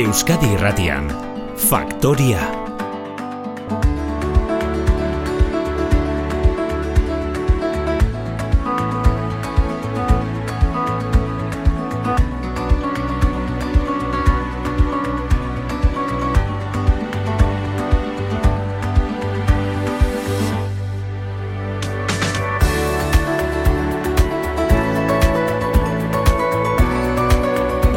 Euskadi Irratian, Faktoria.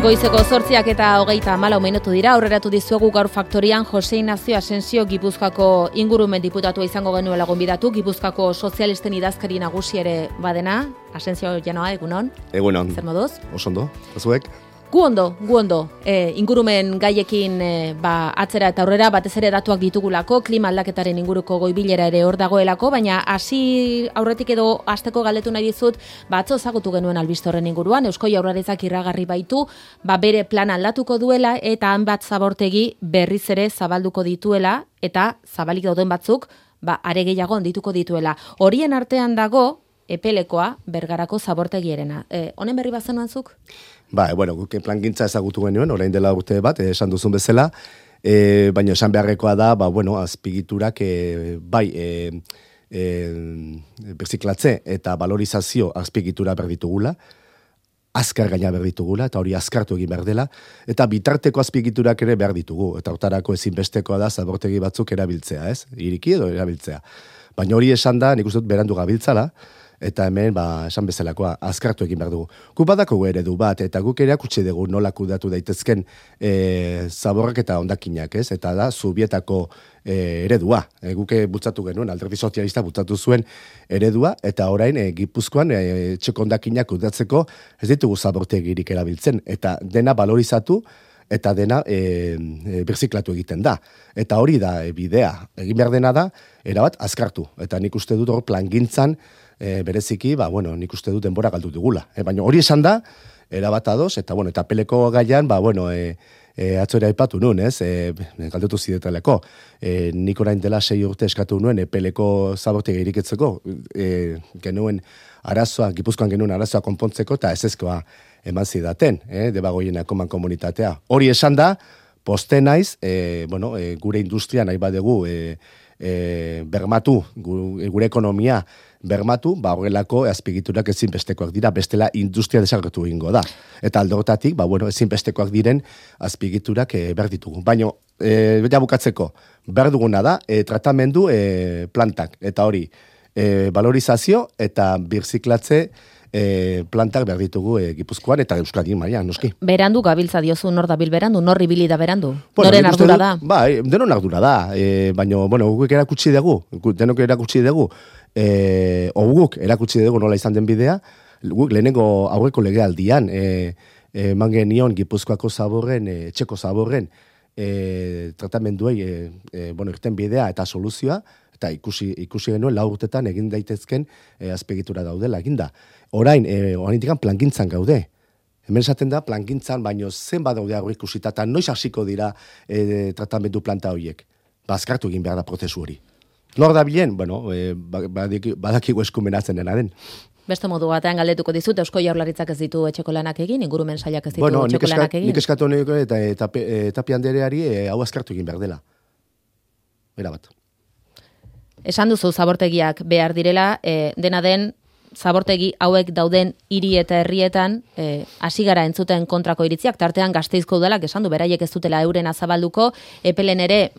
Goizeko 8:24 minutu dira, aurreratu dizuegu gaur Faktorian Jose Ignacio Asensio Gipuzkoako ingurumen diputatua izango genuela gonbidatu, Gipuzkoako sozialisten idazkari nagusi ere badena. Asensio janoa, egunon? Egunon. Zer moduz? Osondo, azuek? Gu ondo. Ingurumen gaiekin atzera eta aurrera, batez ere datuak ditugulako, klima aldaketaren inguruko goibilera ere hor dagoelako, baina hasi aurretik edo hasteko galdetu nahi dizut, atzo ezagutu genuen albiste horren inguruan, Eusko Jaurlaritzak iragarri baitu, bere plana aldatuko duela eta hainbat zabortegi berriz ere zabalduko dituela eta zabalik dauden batzuk are gehiago handituko dituela. Horien artean dago Epelekoa, Bergarako zabortegierena. Honen berri bazenuan zuk? Guk plangintza ezagutu genuen, orain dela urte bat, esan duzun bezala, baina esan beharrekoa da, azpigiturak berziklatze eta valorizazio azpigitura berditugula, azkar gaina berditugula, eta hori azkartu egin behar dela, eta bitarteko azpigiturak ere behar ditugu, eta hortarako ezinbestekoa da zabortegi batzuk erabiltzea, ez? Iriki edo erabiltzea. Baina hori esan da, nik uste dut berandu gabiltzala, eta hemen, esan bezalakoa, azkartu egin behar dugu. Guk badako eredu bat, eta guk erakutsi dugu nola kudatu daitezken zaborrak eta hondakinak, ez? Eta da, Zubietako eredua. Guk bultzatu genuen, Alderdi Sozialista bultzatu zuen eredua, eta orain, Gipuzkoan, txeko hondakinak kudatzeko, ez ditugu zabortegirik erabiltzen, eta dena valorizatu, eta dena birziklatu egiten da. Eta hori da bidea. Egin behar dena da, erabat azkartu. Eta nik uste dut hor plangintzan, bereziki, nik uste dut denbora galdu dugula. Baina hori esan da, erabat ados, eta Peleko gaian, atzora aipatu nuen, ez? Galdetu zideteleko. Nik orain dela 6 urte eskatu nuen, Peleko zabortegi iriketzeko, genuen arazoa, Gipuzkoan genuen arazoa konpontzeko, eta ezezkoa eman zidaten, Debagoienako mankomunitatea. Hori esan da, poste naiz, gure industria nahi badegu bermatu, gure ekonomia bermatu, horrelako azpigiturak ezinbestekoak dira, bestela industria desagertu egingo da. Eta alde horretatik, ezinbestekoak diren azpigiturak berditugu. Baina, bukatzeko, berduguna da, tratamendu plantak, eta hori, valorizazio eta birziklatze plantak behar ditugu Gipuzkoan eta Euskadi mailan, noski. Berandu gabiltza diozu, nor dabil berandu, nor ibili da berandu? Noren ardura da? Denon ardura da, baina, guk erakutsi dugu, denok erakutsi dugu, guk erakutsi dugu nola izan den bidea, guk lehenengo aurreko legealdian, eman genion Gipuzkoako zaborren, txeko zaborren, tratamenduei, irten bidea eta soluzioa, eta ikusi genuen 4 urtetan egin daitezken azpegitura daudela, eginda. Orain digan plangintzan gaude. Hemen esaten da plangintzan, baino zenbat daude aurre ikusita, eta noiz hasiko dira tratamendu planta horiek. Azkartu egin behar da prozesu hori. Nor da bilen? Badakigu eskumenatzen dena den. Beste modu batean galdetuko dizut, Eusko Jaurlaritzak ez ditu etxeko lanak egin, ingurumen sailak ez ditu etxeko lanak egin. Nik eskatu honeko eta Tapia andereari hau azkartu egin behar dela. Bera bat. Esan duzu zabortegiak behar direla, dena den zabortegi hauek dauden hiri eta herrietan hasi gara entzuten kontrako iritziak, tartean Gasteizko udalak esan du beraiek ez dutela eurena zabalduko, Epelen ere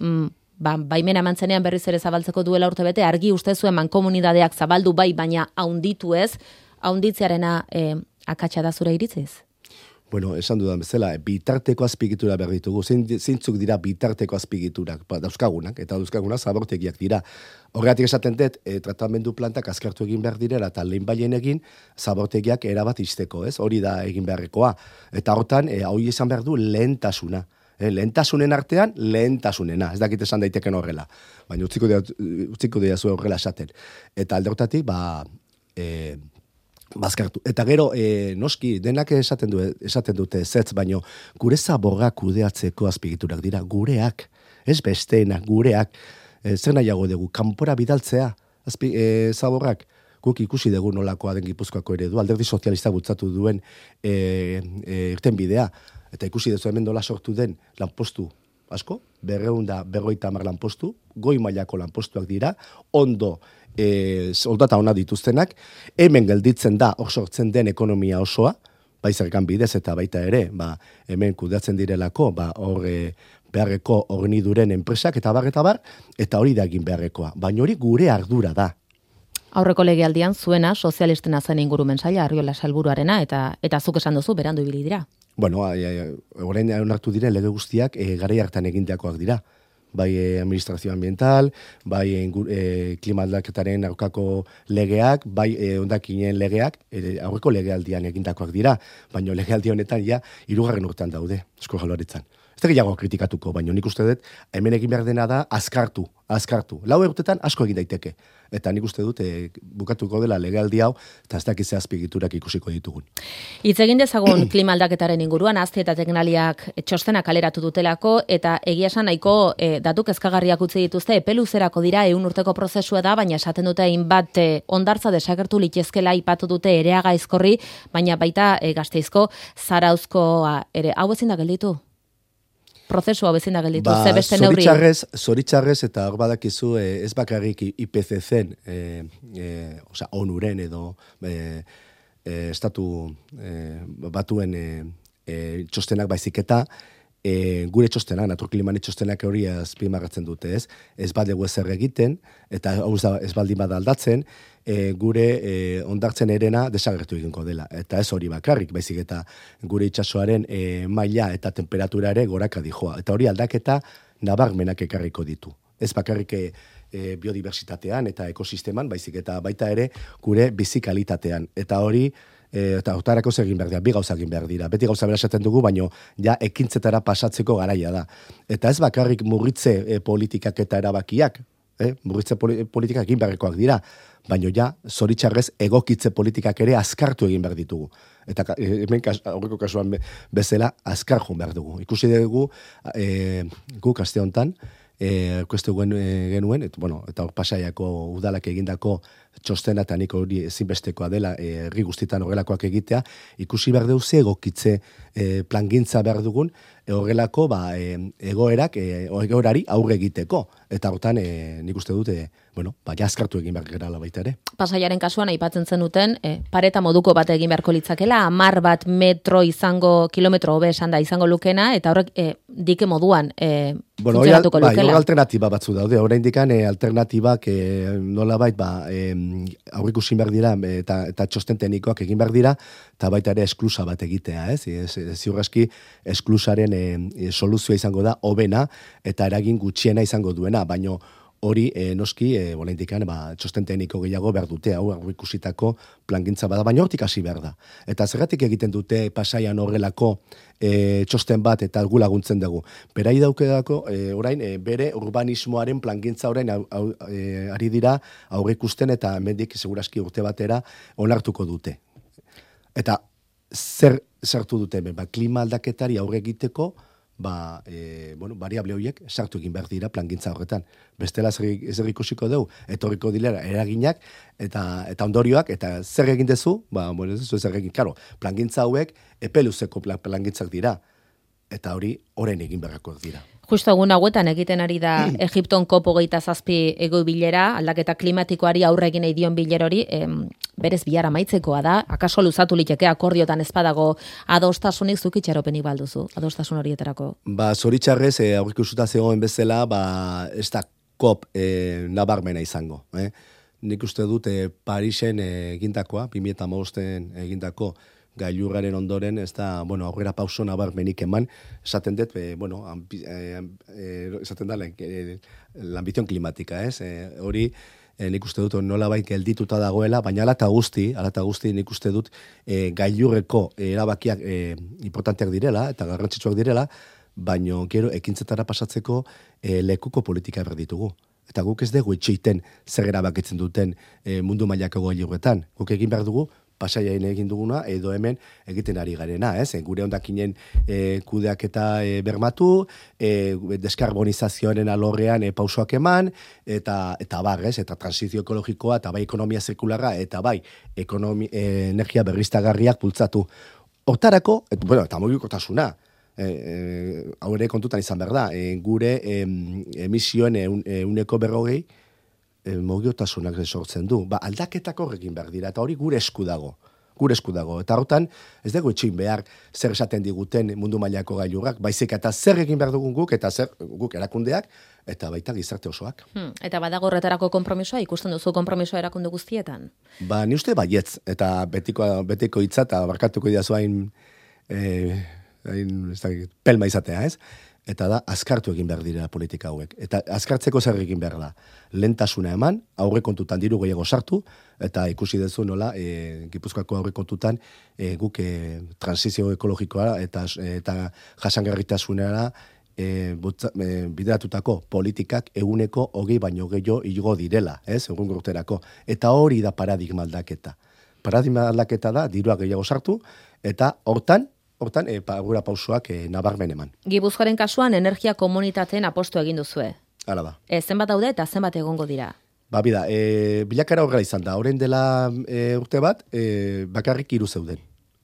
baimena mantzenean berriz ere zabaltzeko duela urtebete, argi uste zuen mankomunidadeak zabaldu baina haunditu ez, haunditzearena akatsa da zure iritziz? Esan dudan bezala, bitarteko azpigitura behar ditugu, zeintzuk dira bitarteko azpigiturak, dauzkagunak, eta dauzkagunak zabortegiak dira. Horregatik esaten dut, tratamendu plantak azkartu egin behar direla, eta lehen baien egin, zabortegiak erabat izteko, ez? Hori da egin beharrekoa. Eta hortan, hori esan behar du lehentasuna. Lehentasunen artean, lehentasunena. Ez dakit esan daiteken horrela. Baina utziko dira zuen horrela esaten. Eta alde hortatik, bazkartu. Eta gero, noski, denak esaten dute zetz, baino gure zaborrak kudeatzeko azpigiturak dira, gureak, ez besteenak, gureak, zer nahiago dugu, kanpora bidaltzea, zaborrak, guk ikusi dugu nolakoa den Gipuzkoako eredu, Alderdi Sozialista bultzatu duen irten bidea, Eta ikusi dezu hemen dola sortu den lanpostu asko, 250 lanpostu, goi mailako lanpostuak dira, ondo soldata ona dituztenak, hemen gelditzen da hor sortzen den ekonomia osoa, bai zergan bidez eta baita ere, hemen kudeatzen direlako, hor beharreko horniduren enpresak eta bar, eta hori da egin beharrekoa. Baina hori gure ardura da. Aurreko legealdian zuena sozialistena zen ingurumen saila, Arriola sailburuarena, eta zuk esan duzu berandu ibili dira. Bueno, orain onartu diren lege guztiak garai hartan egindakoak dira. Bai administrazio ambiental, bai klima aldaketaren aurkako legeak, bai hondakinen legeak, aurreko legealdian egindakoak dira, baina legealdi honetan ja 3. urtean daude, Eusko Jaurlaritzan. Ez da gehiago kritikatuko, baina nik uste dut, hemen egin behar dena da azkartu. 4 urtetan asko egin daiteke. Eta nik uste dut, bukatuko dela legealdi hau, eta ez dakize azpigiturak ikusiko ditugun. Hitz egin dezagun klima aldaketaren inguruan, Azti eta Teknaliak txostenak kaleratu dutelako, eta egia esan nahiko datu kezkagarriak utzi dituzte, epeluzerako dira 100 urteko prozesua da, baina esaten dute hainbat hondartza desagertu litezkela ipatu dute Ereaga Aizkorri, baina baita Gasteizko Zarauzkoa ere. Hau ezin da gelditu? Prozesua bezin da gelditu, ze beste neurri. Zoritxarrez eta hor badakizu ez bakarrik IPCC-en, ONU-ren edo estatu batuen txostenak baizik eta gure txostenak, naturklimane txostenak hori azpimarratzen dute, ez? Ez badegu ezer egiten, eta ez baldin bada aldatzen, gure ondartzen erena desagertu egingo dela. Eta ez hori bakarrik, baizik eta gure itsasoaren maila eta temperatura ere goraka dijoa. Eta hori aldaketa nabarmenak ekarriko ditu. Ez bakarrik biodiversitatean eta ekosisteman, baizik eta baita ere gure bizikalitatean. Eta hori eta hortarako egin behar dira, 2 gauza egin behar dira. Beti gauza bera esaten dugu, baino ja ekintzetara pasatzeko garaia da. Eta ez bakarrik murritze politikak eta erabakiak, murritze politikak egin beharrekoak dira, baino ja, zoritxarrez, egokitze politikak ere azkartu egin behar ditugu. Eta hemen aurreko kasuan bezala, azkar joan behar dugu. Ikusi dugu, guk aste honetan, kuestu genuen, eta hor Pasaiako udalak egindako txostena eta nik hori ezinbestekoa dela herri guztietan horrelakoak egitea, ikusi behar dugu ze egokitze plangintza behar dugun, horrelako egoerari aurre egiteko. Eta hortan nik uste dute, jaskartu egin behar gerala baita ere. Pasaiaren kasuan aipatzen zenuten, pareta moduko bat egin beharko litzakela, 10 metro izango, kilometro hobe esan da izango lukena, eta horrek dike moduan funtzionatuko lukela. Hori alternatiba batzu daude, oraindik alternatibak nolabait aurrikusi behar dira eta txosten teknikoak egin behar dira, eta baita ere esklusa bat egitea, ez? Ziur aski esklusaren soluzioa izango da hobena eta eragin gutxiena izango duena, baino hori noski oraindik txosten tekniko gehiago behar dute, hau aurrikusitako plangintza bada, baina hortik hasi behar da. Eta zergatik egiten dute Pasaian horrelako txosten bat eta gu laguntzen dugu. Berai daukedako orain bere urbanismoaren plangintza orain ari dira aurrikusten eta hemendik segurazki urte batera onartuko dute. Eta zer sartu dute hemen, klima aldaketari aurre egiteko, variable horiek sartu egin behar dira plangintza horretan. Bestela ez ikusiko dugu, etorriko dilera eraginak eta ondorioak, eta zer egin dezu, zer egin, plangintza hauek epeluzeko plangintzak dira, eta hori orain egin beharrakoak dira. Justo egun hauetan egiten ari da Egipton COP27 ego bilera, aldaketa klimatikoari aurre egin nahi dion bilerori, berez bilara maitzekoa da, akaso luzatu liteke akordiotan ezpadago adostasunik zuk itxaropenik balduzu, adostasun horietarako? Zoritxarrez, aurrikusuta zegoen bezala, ez da COP nabarmena izango. Nik uste dut Parisen egindakoa, 2015 egindako gailurraren ondoren, ez da, aurrera pauso nabarmenik eman, esaten dut, esaten da, l'ambizion klimatika, ez? Hori, nik uste dut nolabait geldituta dagoela, baina ala eta guzti nik uste dut gailurreko erabakiak importanteak direla, eta garrantzitsuak direla, baina gero ekintzetara pasatzeko lekuko politika behar ditugu. Eta guk ez dugu itxeiten zer erabakitzen duten mundu mailako gailurretan. Guk egin behar dugu, Pasaian egin duguna, edo hemen egiten ari garena, ez? Gure hondakinen kudeaketa bermatu, deskarbonizazioaren alorrean pausoak eman, eta eta transizio ekologikoa, eta bai ekonomia zirkularra, eta bai energia berriztagarriak bultzatu. Hortarako, eta mugikortasuna, hau ere kontutan izan behar da, gure emisioen 40% mogotasunak sortzen du. Aldaketak horrekin behar dira, eta hori gure esku dago. Eta hortan, ez dugu etxin behar zer esaten diguten mundu mailako gailurrak, baizik eta zer egin behar dugun guk, eta zer guk erakundeak, eta baita gizarte osoak. Eta badago horretarako konpromisoa, ikusten duzu konpromisoa erakunde guztietan? Ni uste baietz, eta betiko hitza, eta barkatuko idazu hain pelma izatea, ez? Eta da, azkartu egin behar dira politika hauek. Eta azkartzeko zer egin behar da. Lentasuna eman, aurrekontutan diru gehiago sartu, eta ikusi dezu nola, Gipuzkoako aurrekontutan guk transizio ekologikoa eta jasangarritasunera bideratutako politikak 120 baino gehiago igo direla, ez? Egun urterako. Eta hori da paradigma aldaketa. Paradigma aldaketa da, dirua gehiago sartu, eta hortan gura pausoak nabarmen eman. Gipuzkoaren kasuan energia komunitateen apostu egin duzue. Hala da. Zenbat daude eta zenbat egongo dira? Bida, bilakara horrela izan da. Horren dela urte bat, bakarrik 3 zeuden.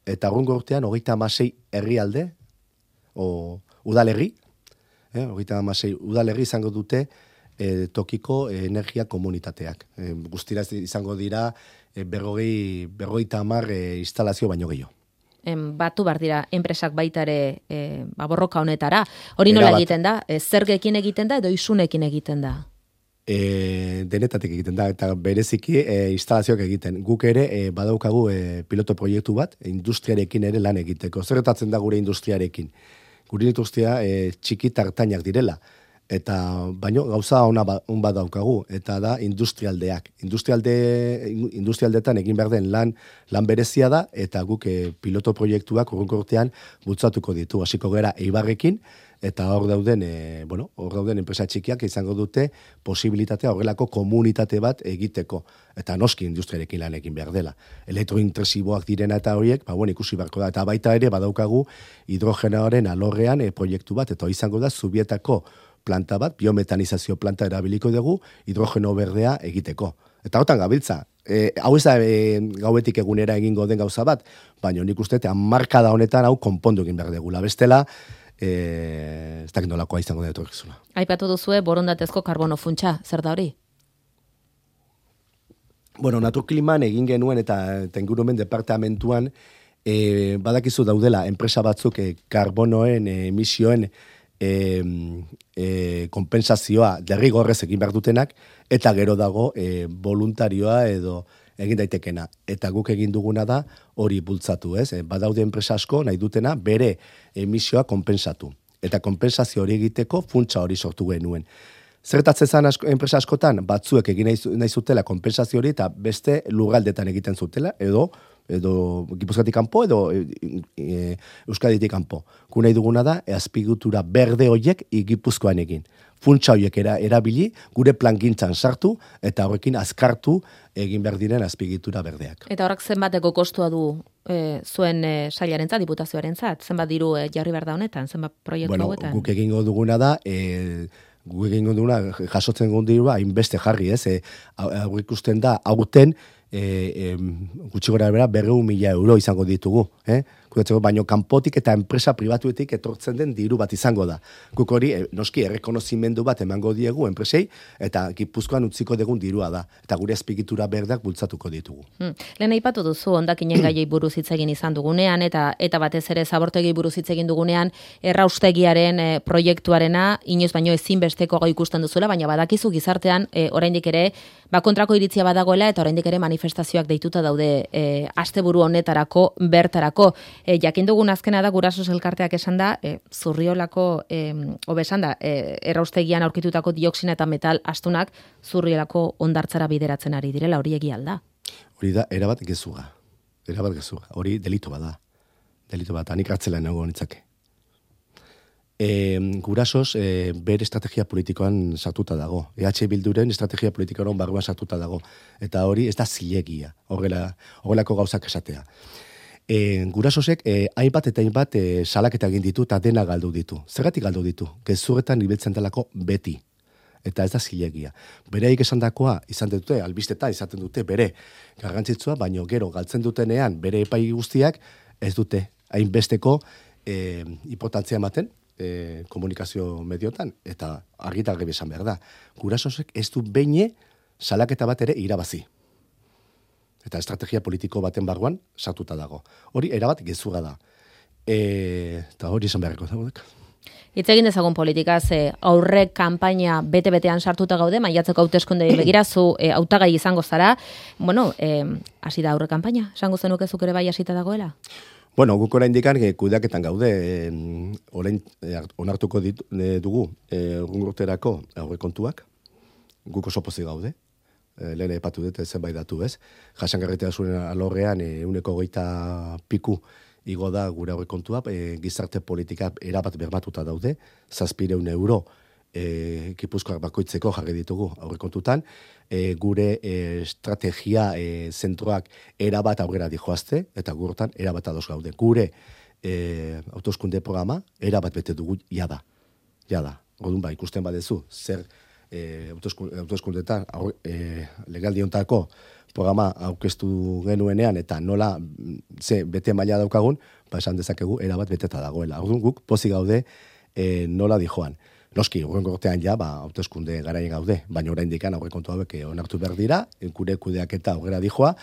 Eta urrungo urtean, 36 herrialde, udalerri, 36 udalerri izango dute tokiko energia komunitateak. Guztira izango dira 50 instalazio baino gehiago. Batu bar dira enpresak baita ere borroka honetara. Hori nola egiten da? Zergekin egiten da edo isunekin egiten da? Denetatik egiten da, eta bereziki instalazioak egiten. Guk ere badaukagu piloto proiektu bat, industriarekin ere lan egiteko. Zerretatzen da gure industriarekin? Gure industria txiki tartainak direla. Eta baino gauza on bat daukagu, eta da industrialdeak. Industrialdetan egin behar den lan berezia da, eta guk piloto proiektuak urrungo urtean bultzatuko ditu. Hasiko gara Eibarrekin, eta hor dauden enpresa txikiak izango dute posibilitatea horrelako komunitate bat egiteko. Eta noski industriarekin lan egin behar dela. Elektrointentsiboak direna eta horiek, ikusi beharko da. Eta baita ere badaukagu hidrogenoaren alorrean proiektu bat, eta izango da Zubietako planta bat, biometanizazio planta erabiliko dugu, hidrogeno berdea egiteko. Eta hortan gabiltza. Hau ez da gauetik egunera egingo den gauza bat, baina nik uste, markada honetan hau konpondu egin behar degula. Bestela, ez dakit nolakoa izango da etorkizuna. Aipatu duzue borondatezko karbono funtsa, zer da hori? Naturkliman egin genuen eta ingurumen departamentuan badakizu daudela enpresa batzuk karbonoen emisioen konpensazioa derrigorrez egin behar dutenak, eta gero dago voluntarioa edo egin daitekena. Eta guk egin duguna da hori bultzatu, ez? Badaude enpresa asko nahi dutena bere emisioa konpensatu. Eta konpensazio hori egiteko funtsa hori sortu genuen. Zertatzen zen enpresa askotan, batzuek egin nahi zutela konpensazio hori eta beste lurraldetan egiten zutela, edo Gipuzkoatik kanpo edo Euskaditik kanpo. Gu nahi duguna da, azpiegitura berde horiek Gipuzkoan egin. Funtsa horiek erabili, gure plangintzan sartu, eta horrekin azkartu egin behar diren azpiegitura berdeak. Eta horrek zenbateko kostua du zuen sailarentzat, diputazioarentzat? Zenbat diru jarri behar da honetan, zenbat proiektu hauetan? Guk egingo duguna da, jasotzen gondirua, hainbeste jarri, ez? Hau ikusten da, aurten, gutxi gora bera 200.000 euro izango ditugu, baino kanpotik eta enpresa pribatuetik etortzen den diru bat izango da. Guk hori, noski, errekonozimendu bat emango diegu enpresei, eta Gipuzkoan utziko degun dirua da, eta gure azpiegitura berdak bultzatuko ditugu. Lehen aipatu duzu, hondakinen gaiei buruz hitz egin izan dugunean, eta batez ere zabortegi buruz hitz egin dugunean, erraustegiaren proiektuarena, inoiz baino ezinbesteko gau ikusten duzuela, baina badakizu gizartean, oraindik ere, kontrako iritzia badagoela, eta oraindik ere manifestazioak deituta daude asteburu honetarako, bertarako. Jakin dugun azkena da, Gurasos elkarteak esan da, Zurriolako, erraustegian aurkitutako dioksina eta metal astunak Zurriolako hondartzara bideratzen ari direla, hori egia alda. Hori da, erabat gezurra. Hori delito bada. Hanik hartzela nago nitzake. Gurasos bere estrategia politikoan sartuta dago. EH Bilduren estrategia politikoan barruan sartuta dago. Eta hori ez da zilegia, horrelako gauzak esatea. Gurasosek hainbat eta hainbat salaketa egin ditu eta dena galdu ditu. Zergatik galdu ditu? Gezurretan ibiltzen delako beti. Eta ez da zilegia. Bereik esandakoa izan dute, albisteta izaten dute bere garrantzitsua, baino gero galtzen dutenean bere epai guztiak ez dute hainbesteko importantzia ematen, komunikazio mediotan, eta argitar garbi esan behar da. Gurasosek ez du beine salaketa bat ere irabazi. Eta estrategia politiko baten barruan sartuta dago. Hori erabat gezurra da. Eta hori esan beharreko zaudek. Hitz egin dezagun politikaz, aurrek kanpaina bete-betean sartuta gaude, maiatzeko hauteskundei begira, zu hautagai izango zara. Bueno, hasi da aurre kanpaina, esango zenuke zuk ere bai hasita dagoela? Bueno, guk oraindikan kudeaketan gaude, orain onartuko dugu urterako aurrekontuak, guk oso pozik gaude. Lehen epatu dut zenbait datu, ez? Jasangarritasunaren alorrean 20 piku igo da gure aurrekontua, gizarte politika erabat bermatuta daude, 700 euro Gipuzkoak bakoitzeko jarri ditugu aurrekontutan, gure estrategia zentroak erabat aurrera dijoazte, eta gurtan erabat ados gaude. Gure hauteskunde programa erabat bete dugu jada. Orduan ikusten badezu, zer hauteskundetan legaldi hontako programa aurkeztu genuenean eta nola ze bete maila daukagun, esan dezakegu erabat beteta dagoela. Orduan guk pozik gaude nola dijoan. Noski, hurrengo urtean hauteskunde garaien gaude, baina oraindik aurrekontu hauek onartu behar dira, gure kudeaketa aurrera dijoa,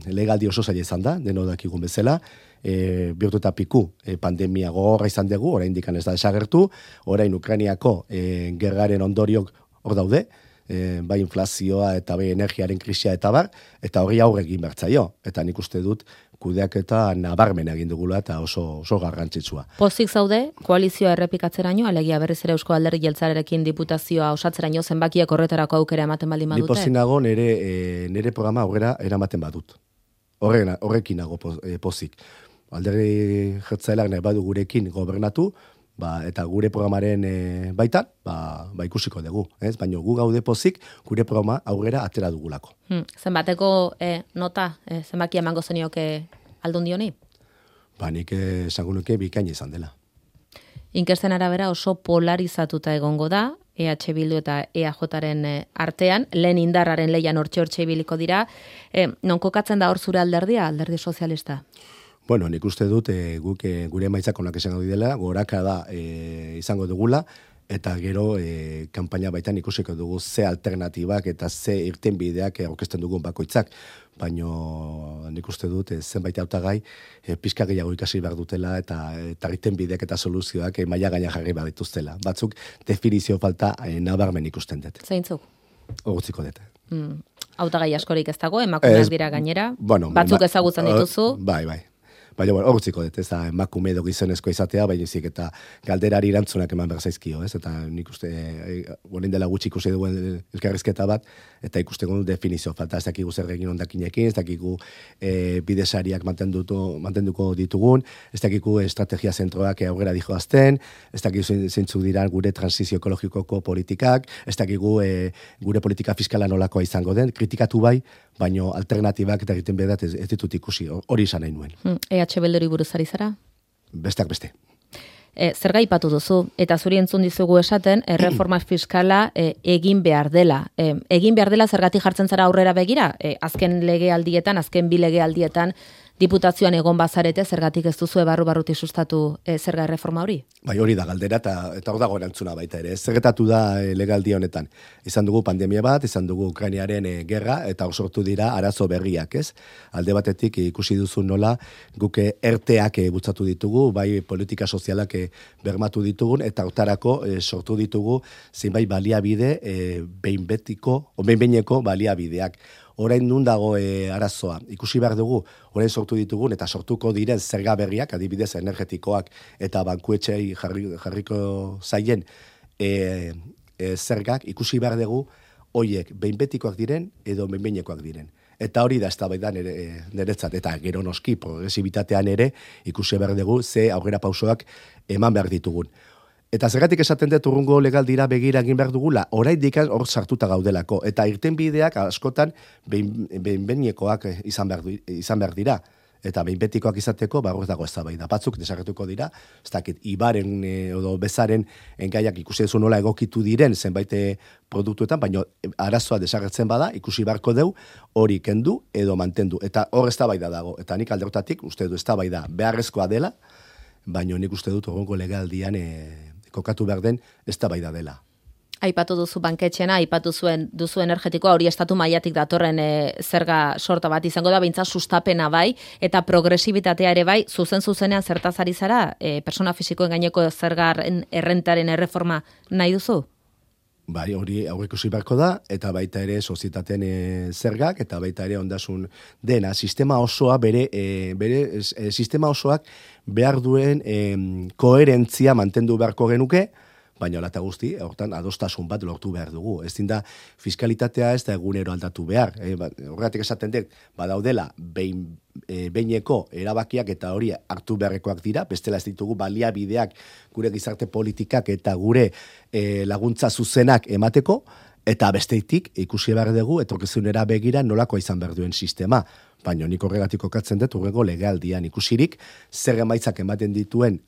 legaldi oso zaila izan da, deno dakigun bezala, bihurtu eta piku pandemia gogorra izan dugu, oraindik ez da desagertu, orain Ukrainiako gerraren ondoriok hor daude, bai inflazioa eta bai energiaren krisia eta bar, eta hori aurre egin bertzaio. Eta nik uste dut kudeaketa nabarmen egin dugula eta oso garrantzitsua. Pozik zaude, koalizioa errepikatzeraino, alegia berriz ere Eusko Alderdi Jeltzalearekin diputazioa osatzeraino zenbakiak horretarako aukera ematen baldin badute? Ni pozik nago nire programa aurrera eramaten badut. Horrekin nago pozik. Alderdi Jeltzaleak nahi badu gurekin gobernatu, eta gure programaren baitan, ikusiko dugu, ez? Baina gu gaude pozik, gure programa aurrera atera dugulako. Zenbateko nota, zenbaki emango zenioke Aldundi honi? Nik esango nuke bikaina izan dela. Inkesten arabera oso polarizatuta egongo da, EH Bildu eta EAJaren artean, lehen indarraren leian hortxe ibiliko dira, non kokatzen da hor zure alderdia, alderdi sozialista? Bueno, nik uste dut guk gure emaitzak onak izango dira, goraka da izango dugula, eta gero kanpaina baitan ikusiko dugu ze alternatibak eta ze irtenbideak aurkezten dugun bakoitzak. Baina nik uste dut zenbait hautagai pixka gehiago ikasi behar dutela eta irtenbideak eta soluzioak maila gaina jarri behar dituztela. Batzuk definizio falta nabarmen ikusten dut. Zeintzuk? Horutziko dut. Hautagai askorik ez dago, emakumeak dira gainera, batzuk ezagutzen dituzu. Bai. Baina, horutziko dut, ez da emakume edo gizonezko izatea, baina zik eta galderari erantzunak eman behar zaizkio, ez? Eta nik uste, orain dela gutxi ikusi duen elkarrizketa bat, eta ikusten definizio falta, ez dakigu zer egin ondakinekin, ez dakigu bidesariak mantenduko ditugun, ez dakigu estrategia zentroak aurrera dijoazten, ez dakigu zeintzuk dira gure transizio ekologikoko politikak, ez dakigu gure politika fiskala nolakoa izango den, kritikatu bai, baina alternatibak eta egiten bedat ez ditut ikusi, hori izan nahi nuen. EH Bilduri buruz ari zara? Besteak beste. Zer gaipatu duzu, eta zuri entzun dizugu esaten, erreforma fiskala egin behar dela. Egin behar dela zergatik jartzen zara aurrera begira? Azken legealdietan, azken bi legealdietan, diputazioan egon bazarete, zergatik ez duzu barruti sustatu zerga erreforma hori? Bai, hori da galdera, eta hor dago erantzuna baita ere. Zergetatu da legealdi honetan. Izan dugu pandemia bat, izan dugu Ukrainiaren gerra, eta hor sortu dira arazo berriak, ez? Alde batetik ikusi duzu nola, guk erteak bultzatu ditugu, bai politika sozialak bermatu ditugun, eta hortarako sortu ditugu zenbait baliabide behin-behineko baliabideak. Orain nun dago arazoa. Ikusi behar dugu, orain sortu ditugun eta sortuko diren zerga berriak, adibidez energetikoak eta bankuetxei jarriko zaien zergak, ikusi behar dugu, hoiek behinbetikoak diren edo behinbeinekoak diren. Eta hori da eztabaidan niretzat, eta gero noski progresibitatean ere ikusi behar dugu ze aurrera pausoak eman behar ditugun. Eta zergatik esaten dut urrungo legaldira begira egin behar dugula, oraindik hor sartuta gaudelako. Eta irtenbideak askotan behinbeinekoak izan behar dira. Eta behinbetikoak izateko, hor dago eztabaida. Batzuk desagertuko dira, ez dakit, ibaren edo bezaren engaiak ikusi duzu nola egokitu diren zenbait produktuetan, baina arazoa desagertzen bada, ikusi beharko deu, hori kendu edo mantendu. Eta hor eztabaida dago. Eta nik alderrotatik, uste du eztabaida beharrezkoa dela, baina nik uste dut horrengo legealdian kokatu behar den eztabaida dela. Aipatu duzu banketxena, aipatu duzu energetikoa, hori estatu mailatik datorren zerga sorta bat izango da, behintzat sustapena bai, eta progresibitatea ere bai, zuzenean zertaz ari zara, persona fisikoen gaineko zergaren errentaren erreforma nahi duzu? Bai, hori aurreikusi beharko da, eta baita ere sozietateen zergak, eta baita ere ondasun dena, sistema osoa bere sistema osoak behar duen koherentzia mantendu beharko genuke, baina holata guzti, hortan adostasun bat lortu behar dugu. Ezin da fiskalitatea ez da egunero aldatu behar. Horregatik esaten dut, badaudela behineko erabakiak eta hori hartu beharrekoak dira, bestela ez ditugu baliabideak gure gizarte politikak eta gure laguntza zuzenak emateko, eta besteitik ikusi behar dugu etorkizunera begira nolako izan behar duen sistema. Baina nik horregatik kokatzen dut hurrengo legealdian ikusirik, zer emaitzak ematen dituen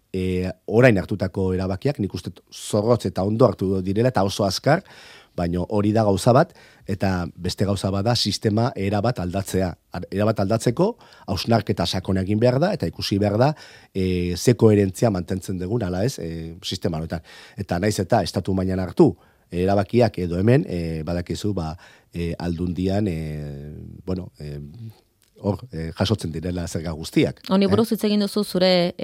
orain hartutako erabakiak, nik uste zorrotz eta ondo hartu direla eta oso azkar, baina hori da gauza bat, eta beste gauza bat da sistema erabat aldatzea. Erabat aldatzeko, hausnarketa sakon egin behar da, eta ikusi behar da, ze koherentzia mantentzen dugun, ala ez, sistema honetan. Eta naiz eta estatu mailan hartu, erabakiak edo hemen, badakizu, aldundian, jasotzen direla zerga guztiak. Honi buruz hitz egin duzu zure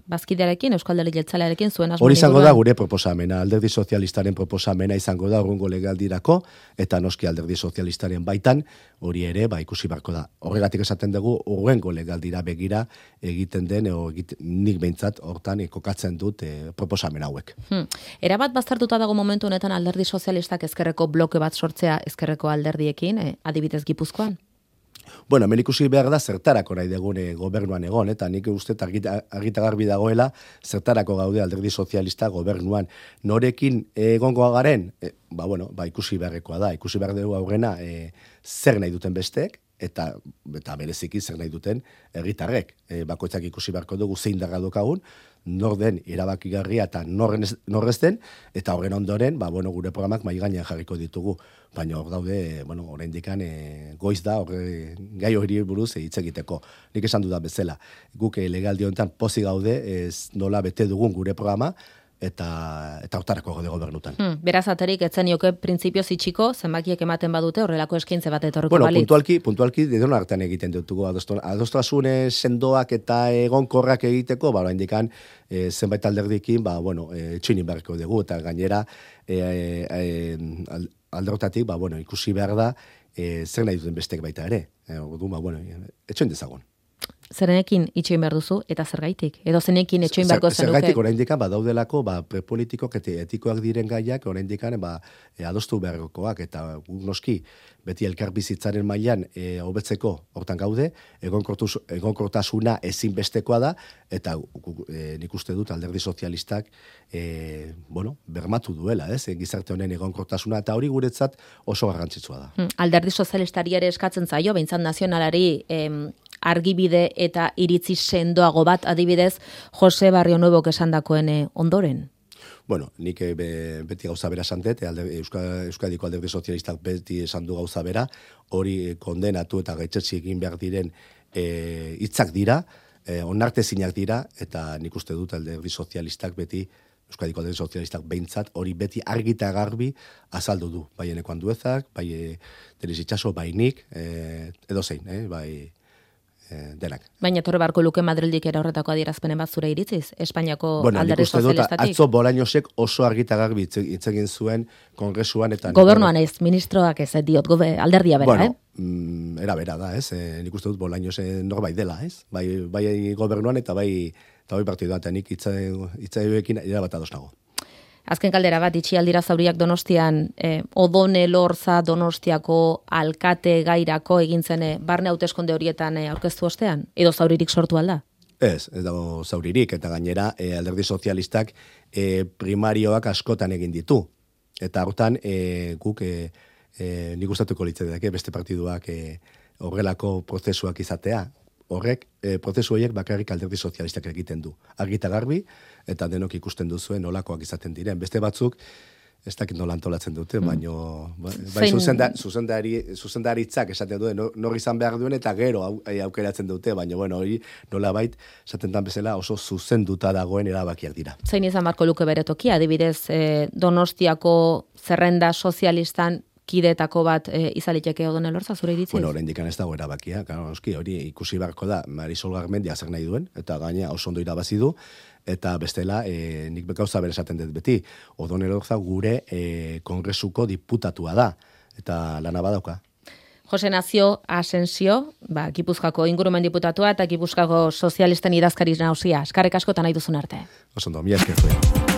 bazkidearekin, Euskal Alderdi Jeltzalearekin, zuen asmoa. Hori izango da gure proposamena, Alderdi Sozialistaren proposamena izango da urrungo legealdirako, eta noski Alderdi Sozialistaren baitan, hori ere, ikusi beharko da. Horregatik esaten dugu, urrengo legealdira begira egiten den, nik behintzat hortan kokatzen dut proposamen hauek. Erabat baztertuta dago momentu honetan Alderdi Sozialistak ezkerreko bloke bat sortzea ezkerreko alderdiekin, adibidez Gipuzkoan? Bueno, hemen ikusi behar da zertarako nahi degune gobernuan egon, eta nik uste argita garbi dagoela zertarako gaude Alderdi Sozialista gobernuan. Norekin egongo garen, ikusi beharrekoa da, ikusi behar dugu aurrena zer nahi duten besteek, eta bereziki zer nahi duten herritarrek. Bakoitzak ikusi beharko dugu zein darra dokagun, nor den erabakigarria eta norrez den, eta horren ondoren, gure programak mai gainean jarriko ditugu. Baina hor daude, oraindikan goiz da, gai hori buruz hitz egiteko. Nik esan dudan bezala, guk legealdi honetan pozik gaude, ez nola bete dugun gure programa, eta hortarako gaude gobernutan. Beraz aterik, etzen joke printzipioz itxiko, zenbakiek ematen badute horrelako eskintze bat etorriko balitz. Puntualki dedon artean egiten dutugu, adostasun sendoak eta egonkorrak egiteko, indikan zenbait alderdikin, txinin beharko dugu, eta gainera alderotatik, ikusi behar da, zer nahi duten bestek baita ere. Etxoin dezagon. Zerenekin itxoin behar duzu, eta zergaitik? Edo zenekin etxoin beharko zenuke? Zergaitik oraindikan badaudelako prepolitikok eta etikoak diren gaiak oraindikan adostu beharkoak, eta noski beti elkarbizitzaren mailan hobetzeko hortan gaude, egonkortasuna ezinbestekoa da, eta nik uste dut Alderdi Sozialistak bermatu duela, gizarte honen egonkortasuna, eta hori guretzat oso garrantzitsua da. Alderdi Sozialistari ere eskatzen zaio, behintzat nazionalari argibide eta iritzi sendoago bat, adibidez, Jose Barrio Nuevok esandakoen ondoren? Nik beti gauza bera esandet, Euskadiko Alderdi Sozialistak beti esan du gauza bera, hori kondenatu eta gaitzetsi egin behar diren hitzak dira, onartezinak dira, eta nik uste dut Alderdi Sozialistak beti, Euskadiko Alderdi Sozialistak behintzat, hori beti argita garbi azaldu du. Bai Eneko Anduezak, bai Denis Itxaso, bai nik, edo zein, bai denak. Baina torre barko luke Madrildik era horretako adierazpenen bat zure iritziz, Espainiako Alderdi Sozialistatik? Atzo Bolañosek oso argita garbi hitz egin zuen kongresuan eta... Gobernuan ez, ministroak ez diot, alderdia bera, Era bera da, nik uste dut Bolaños norbait dela, Bai gobernuan eta bai partidua, eta nik hitzaioekin erabat ados nago. Azken kaldera bat, itxialdira zauriak Donostian, Odone Lorza Donostiako alkate gairako egintzen barne hauteskunde horietan aurkeztu ostean? Edo zauririk sortu alda? Ez dago zauririk, eta gainera Alderdi Sozialistak primarioak askotan egin ditu. Eta hortan guk nik gustatuko litzateke beste partiduak horrelako prozesuak izatea. Horrek, prozesu horiek bakarrik Alderdi Sozialistak egiten du. Argita garbi, eta denok ikusten duzuen nolakoak izaten diren. Beste batzuk, ez dakit nola antolatzen dute, baino bai zuzendaritzak esaten duen, nor izan behar duen eta gero aukeratzen dute, baina bueno, hori nolabait esaten dan bezala oso zuzenduta dagoen erabakiak dira. Zein izan barko luke bere tokia, adibidez Donostiako zerrenda sozialistan kidetako bat izaliteke Odon Elorza, zure iritziz? Bueno, oraindik ez dago erabakia, claro, hori ikusi beharko da Marisol Garmendia zer nahi duen, eta gaina oso ondo irabazi du, eta bestela, nik gauza bere esaten dut beti, Odon Elorza gure kongresuko diputatua da, eta lana badauka. Jose Nazio Asensio, Gipuzkoako ingurumen diputatua eta Gipuzkoako sozialisten idazkari nagusia. Eskerrik asko eta nahi duzun arte. Oso ondo, mila esker.